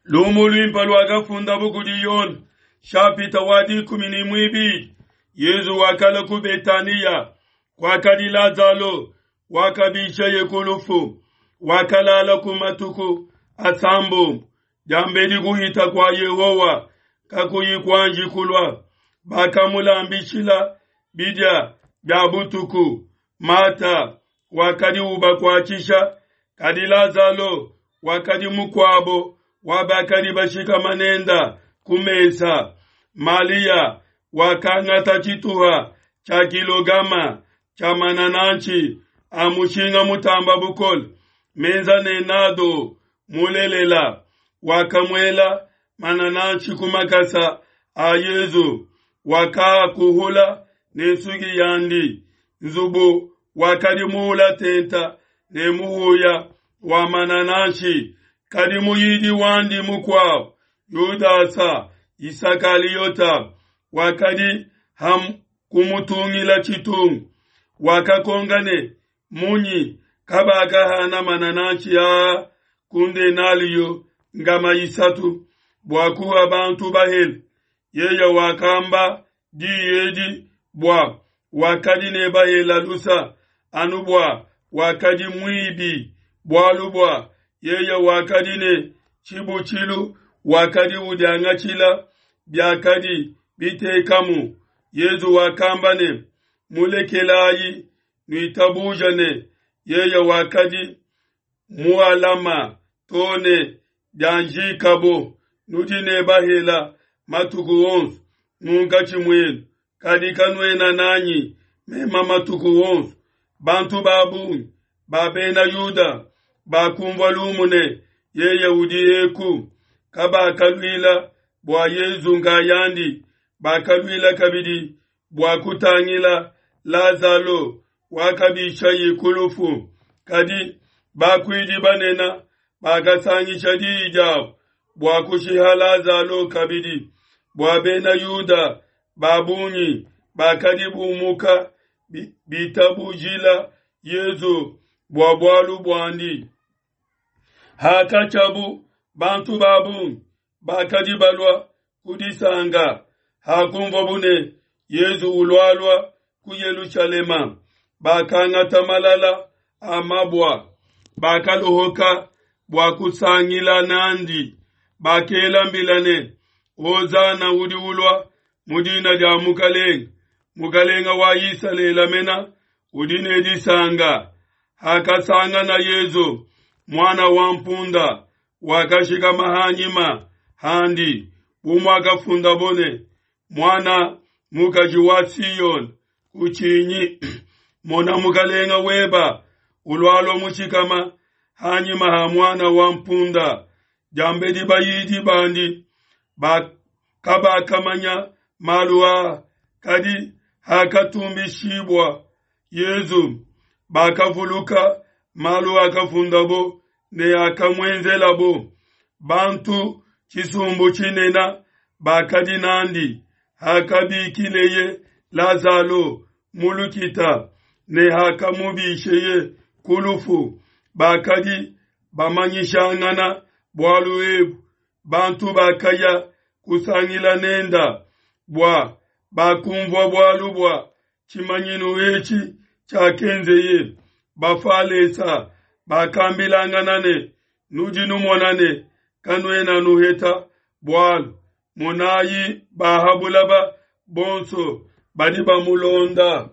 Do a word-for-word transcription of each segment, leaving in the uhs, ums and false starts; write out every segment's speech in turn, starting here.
Lumu luimpe luakafundabu kudi Yone, nshapita wa dikumi ne muibidi. Yezu wakalua ku Betaniya, kuakadi Lazalo wakabisheye ku lufu, wakalala ku matuku asambombo diambedi kuhita kua Yehowa kakuyi kuanji kulua. Bakamulambishila bidia bia butuku. Mata wakadi ubakuatshisha, kadi Lazalo wakadi mukuabo wa bakadi bashikama nenda ku mesa. Malia wakangata tshituha tshia kilogama tshia manananshi a mushinga mutamba bukole, menza ne nado mulelela, wakamuela manananshi ku makasa a Yezu, wakakuhula ne nsuki yandi. Nzubu wakadi muula tenta ne muhuya wa manananshi. Kadi muyidi wandi mukuabo, Yudasa Isakaliota, wakadi ham kumutungila tshitungu, wakakonka ne, munyi kabakahana manananshi aa ku ndenaliyo ngama isatu bua kuha bantu bahele? Yeye wakamba diyi edi bua wakadi ne bahela lusa, anu bua wakadi muibi, bualu bua yeye wakadi ne tshibutshilu, wakadi udiangatshila biakadi bitekamu. Yezu wakamba ne, mulekelayi, nuitabuja ne yeye wakadi mualama to ne bianjikabo. Nudi ne bahela matuku onso munkatshi muenu, kadi kanuena nanyi mema matuku onso. Bantu ba bungi ba bena Yuda bakumvua lumu ne yeye udi eku, kabakaluila bua Yezu nkayandi, bakaluila kabidi bua kutangila Lazalo wakabishaye ku lufu. Kadi bakuidi banene bakasangisha diyi diabo bua kushiha Lazalo kabidi, bua bena Yuda ba bungi bakadi bumuka bitabujila Yezu bua bualu buandi. Hakatshiabu bantu ba bungi bakadi balua kudisanga, hakumvuabu ne Yezu ulualua ku Yelushalema, bakangata malala a mabua, bakalohoka bua kusangila nandi. Bakela mbila ne, Hosana udi ulua mu dina dia Mukalenga, Mukalenga wa Isalele mena udi ne disanga. Hakasangana Yezu muana wa mpunda, wakashikama hanyima handi, bu muakafundabo ne, muana mukaji wa Siyoni, kutshinyi, mona Mukalenga weba ulualua mushikama hanyima ha muana wa mpunda. Diambedi bayidi bandi kabakamanya malu aa, kadi hakatumbishibua Yezu, bakavuluka malu akafundabo ne akamuenzelabo. Bantu tshisumbu tshinene bakadi nandi hakabikileye Lazalo mu lukita ne hakamubisheye ku lufu, bakadi bamanyishangana bualu ebu. Bantu bakaya kusangila nenda bua bakumvua bualu bua tshimanyinu etshi tshiakenzeye. Bafalesa bakambilangana ne, nudi numona ne kanuena nuheta bualu, monayi bahabulaba bonso badi bamulonda.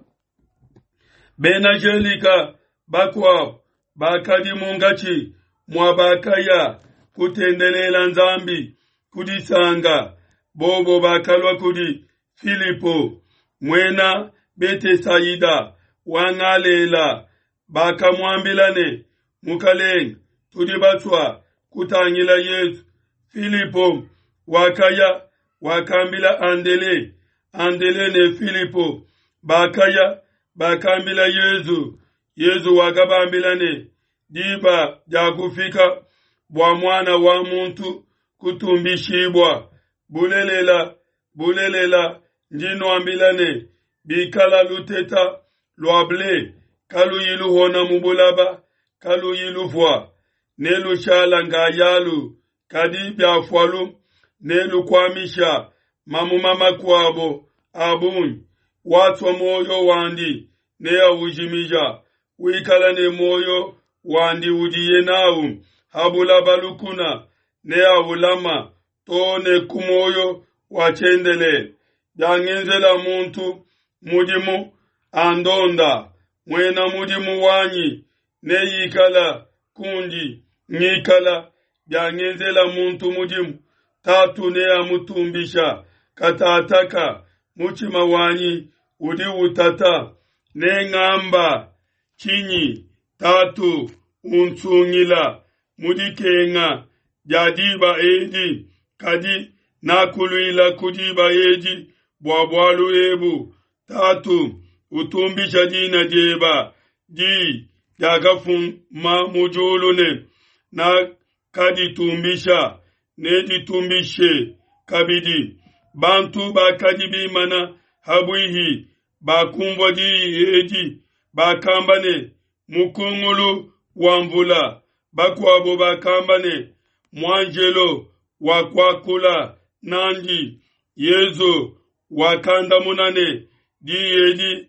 Bena Jelika bakuabo bakadi munkatshi mua bakaya kutendelela Nzambi kudisanga, bobo bakalua kudi Filipo muena Betesaida wa Galela, bakamuambila ne, Mukalenge, tudi basua kutangila Yezu. Filipo wakaya wakambila Andele, Andele ne Filipo bakaya bakambila Yezu. Yezu wakabambila ne, diba diakufika bua muana wa muntu kutumbishibua. Bulelela, bulelela, ndi nuambila ne, bikala luteta lua ble kaluyi luhona mu bulaba, kaluyi lufua, ne lushala nkayalu Kadi biafualu nelukuamisha mamuma makuabo a bungi. Wasua muoyo wandi neaujimija, wikala ne muoyo wandi udiye nawu ha bulaba lukuna neaulama to ne ku muoyo wa tshiendelele. Biangenzela muntu mudimu andonda, muena mudimu wanyi neikala kundi ngikala. Biangenzela muntu mudimu, Tatu neamutumbisha. Katataka mutshima wanyi udi utata, nengamba tshinyi? Tatu, unsungila mu dikenga dia diba edi. Kadi nakuluila ku diba edi bua bualu ebu. Tatu, utumbisha dina dieba. Di diakafuma mu diulu ne nakaditumbisha, neditumbishe kabidi. Bantu bakadi bimana habuihi bakumvua diyi edi, bakamba ne, mukungulu wa mvula. Bakuabo bakamba ne, muanjelo wakuakula nandi. Yezu wakandamuna ne, diyi edi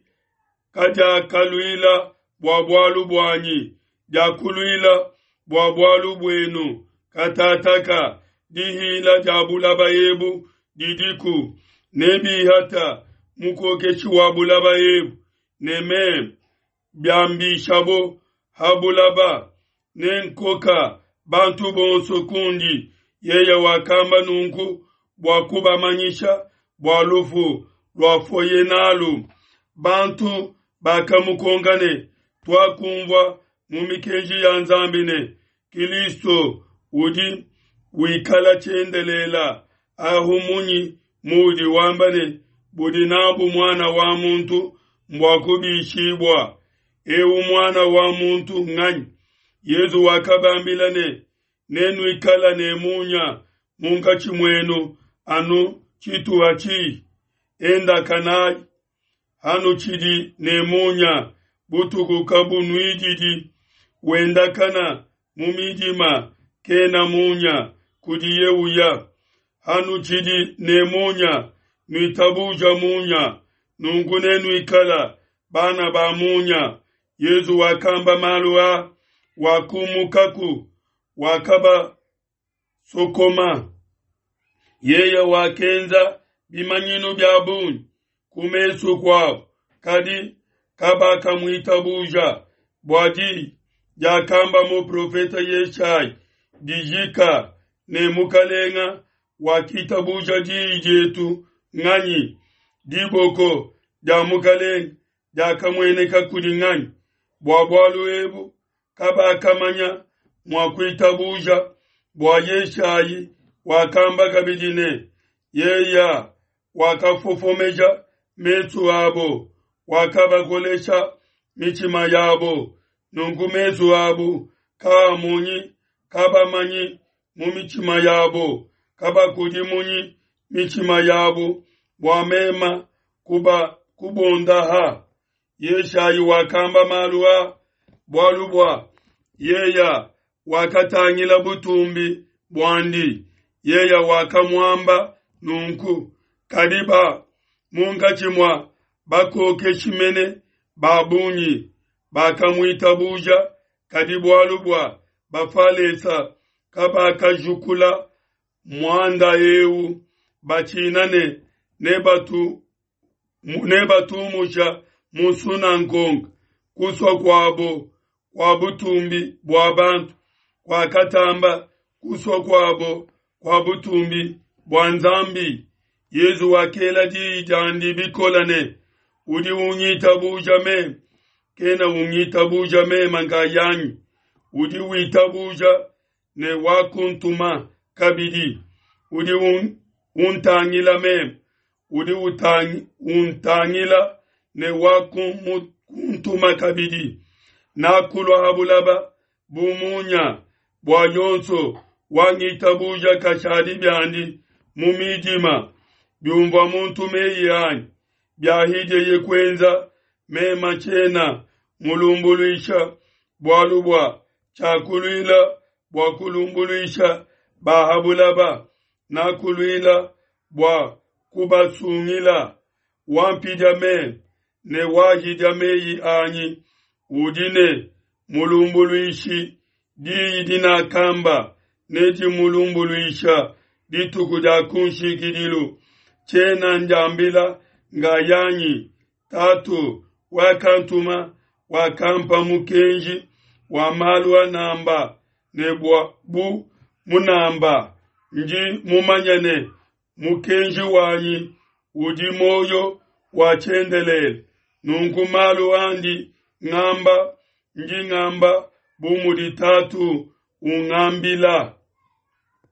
kadiakaluila bua bualu buanyi, diakuluila bua bualu buenu. Katataka dihila dia bulaba ebu didiku, nebihata mukokeshi wa bulaba ebu, ne meme biambishabo ha bulaba nenkoka bantu bonso kundi. Yeye wakamba nunku bua kubamanyisha bua lufu luafuaye nalu. Bantu bakamukonka ne, tuakumvua mu mikenji ya Nzambi ne, Kilisto udi wikala tshiendelela. Ahu munyi muudi wamba ne, budi nabu muana wa muntu mbua kubishibua? Eu muana wa muntu nganyi? Yezu wakabambila ne, nenuikala ne munya munkatshi muenu anu tshituha tshihi. Endakanayi hanutshidi ne munya, butuku kabunuididi. Wendakana mu midima kena munya kudiye uya. Hanutshidi ne munya, nuitabuja munya, nunku nenuikala bana ba munya. Yezu wakamba malu a, wakumukaku, wakabasokoma. Yeye wakenza bimanyinu bia bungi ku mesu kuabo, kadi kabakamuitabuja. Bua diyi diakamba muprofete Yeshayi dijika ne, Mukalenga wakitabuja diyi dietu nganyi? Diboko dia Mukalenga diakamueneka kudi nganyi? Bua bualu ebu kabakamanya mua kuitabuja. Bua Yeshayi wakamba kabidi ne, yeya wakafofomeja mesu abo, wakabakolesha mitshima yabo, nunku mesu abo kaamonyi, kabamanyi mu mitshima yabo, kabakudimunyi mitshima yabo bua mema kuba kubondaha. Yeshayi wakamba malu a bualu bua yeya wakatangila butumbi buandi, yeya wakamuamba nunku. Kadi ba munkatshi mua bakokeshi mene ba bungi bakamuitabuja, kadi bualu bua Bafalesa kabakajukula muanda eu, batshina ne nebatu nebatumusha mu nsunangonga. Kusua kuabo kua butumbi bua bantu kuakatamba kusua kuabo kua butumbi bua Nzambi. Yezu wakela diyi diandi bikole ne, udi ungitabuja meme kena ungitabuja meme nkayanyi, udi witabuja ne wakuntuma kabidi. Udi un, untangila meme, udi utangi, untangila ne wakuntuma kabidi. Nakulua ha bulaba bu munya, bua yonso wangitabuja kashadi biandi mu midima. Biumvua muntu meyi anyi, biahidieye kuenza, mema tshiena mulumbuluisha, bualu bua tshiakuluila bua kulumbuluisha ba ha bulaba, nakuluila bua kubasungila. Wampidia meme ne wahidia meyi anyi udi ne mulumbuluishi, diyi dinakamba nedimulumbuluisha dituku dia kunshikidilu. Tshiena ndiambila ngayanyi, Tatu wakantuma wakampa mukenji wa malu anamba ne bua bu munamba. Ndi mumanye ne mukenji wanyi udi muoyo wa tshiendelele. Nunku malu andi ngamba, ndi ngamba bu mudi Tatu ungambila.